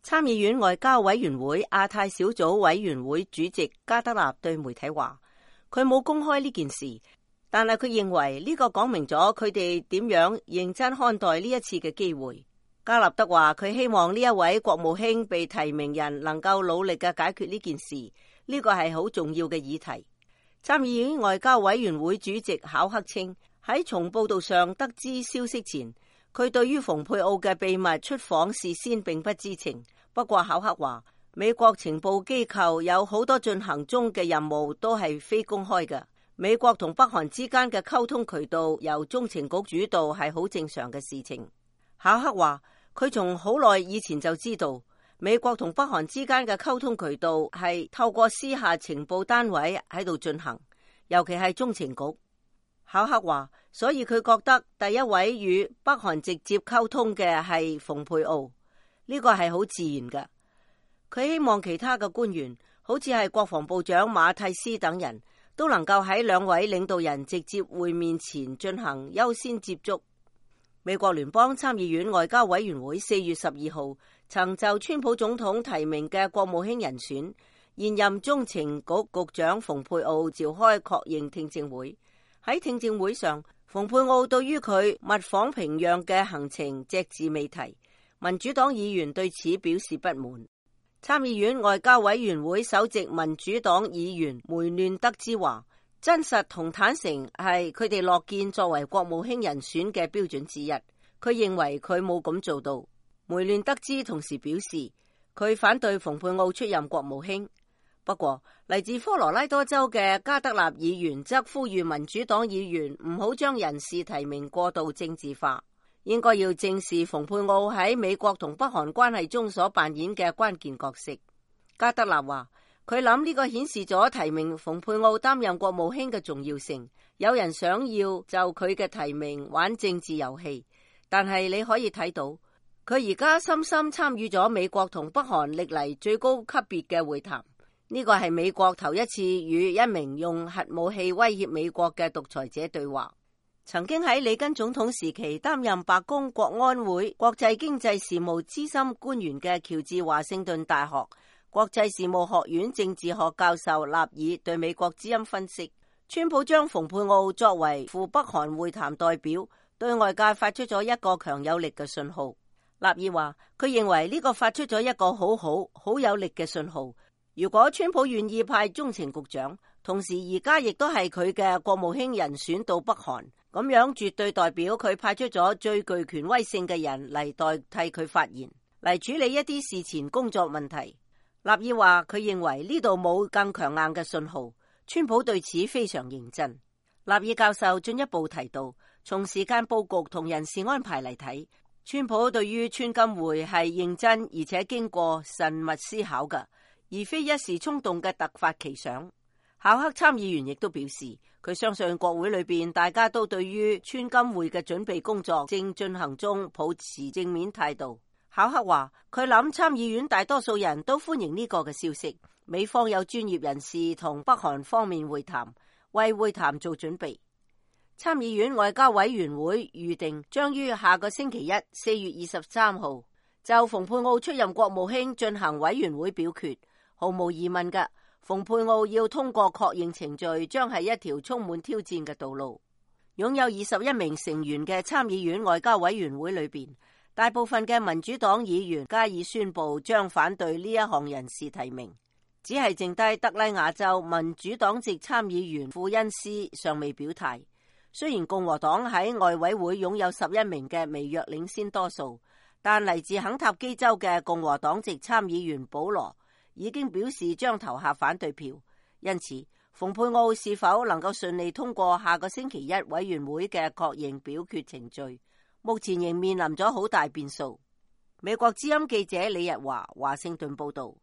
參議院外交委員會亞太小組委員會主席加德納對媒體話，佢冇公開呢件事，但係佢認為呢個講明咗佢哋點樣認真看待呢一次嘅機會。加納德話，佢希望呢一位國務卿被提名人能夠努力嘅解決呢件事，呢個係好重要嘅議題。參議院外交委員會主席考克稱，喺從報道上得知消息前，佢對於蓬佩奧嘅秘密出訪事先並不知情。不過考克話，美國情報機構有好多進行中嘅任務都係非公開嘅。美國同北韓之間嘅溝通渠道由中情局主導係好正常嘅事情。考克話，佢從好耐以前就知道美國同北韓之間嘅溝通渠道係透過私下情報單位喺度進行，尤其係中情局。考克話，所以佢覺得第一位與北韓直接溝通嘅係蓬佩奧。呢個係好自然嘅。佢希望其他嘅官員，好似係國防部長馬蒂斯等人都能夠喺兩位領導人直接會面前進行優先接觸。美國聯邦參議院外交委員會4月12號曾就川普總統提名嘅國務卿人選，現任中情局局長蓬佩奧召開確認聽證會。喺聽證會上，蓬佩奧對於佢密訪平壤嘅行程隻字未提。民主黨議員對此表示不滿。參議院外交委員會首席民主黨議員梅亂德茲話，真實同坦誠係佢哋樂見作為國務卿人選嘅標準之一。佢認為佢冇咁做到。梅亂德茲同時表示，佢反對蓬佩奧出任國務卿。不過，嚟自科羅拉多州嘅加德納議員則呼籲民主黨議員唔好將人事提名過度政治化，應該要正視蓬佩奧喺美國同北韓關係中所扮演嘅關鍵角色。加德納話，佢諗呢個顯示咗提名蓬佩奧擔任國務卿嘅重要性。有人想要就佢嘅提名玩政治遊戲，但係你可以睇到，佢而家深深參與咗美國同北韓歷嚟最高級別嘅會談。呢個係美國頭一次與一名用核武器威脅美國嘅獨裁者對話。曾經喺里根總統時期擔任白宮國安會國際經濟事務資深官員嘅喬治華盛頓大學國際事務學院政治學教授納爾對美國之音分析，川普將蓬佩奧作為赴北韓會談代表，對外界發出咗一個強有力嘅信號。納爾話，佢認為呢個發出咗一個好有力嘅信號。如果川普願意派中情局長，同時而家亦都係佢嘅國務卿人選到北韓，咁樣絕對代表佢派出咗最具權威性嘅人嚟代替佢發言，嚟處理一啲事前工作問題。納爾話，佢認為呢度冇更強硬嘅信號，川普對此非常認真。納爾教授進一步提到，從時間佈局同人事安排嚟睇，川普對於川金會係認真而且經過慎密思考嘅，而非一時衝動嘅突發奇想。考克參議員亦都表示，佢相信國會裏邊大家都對於川金會嘅準備工作正進行中抱持正面態度。考克話，佢諗參議院大多數人都歡迎呢個嘅消息，美方有專業人士同北韓方面會談，為會談做準備。參議院外交委員會預定將於下個星期一4月23號就蓬佩奧出任國務卿進行委員會表決。毫無疑問嘅，蓬佩奧要通過確認程序將係一條充滿挑戰嘅道路。擁有21名成員嘅參議院外交委員會裏邊，大部分嘅民主黨議員加以宣布將反對呢一項人事提名，只係剩低德拉瓦州民主黨籍參議員庫恩斯尚未表態。雖然共和黨喺外委會擁有11名嘅微弱領先多數，但嚟自肯塔基州嘅共和黨籍參議員保羅已經表示將投下反對票，因此蓬佩奧是否能夠順利通過下個星期一委員會嘅確認表決程序，目前仍面臨咗好大變數。美國之音記者李日華華盛頓報道。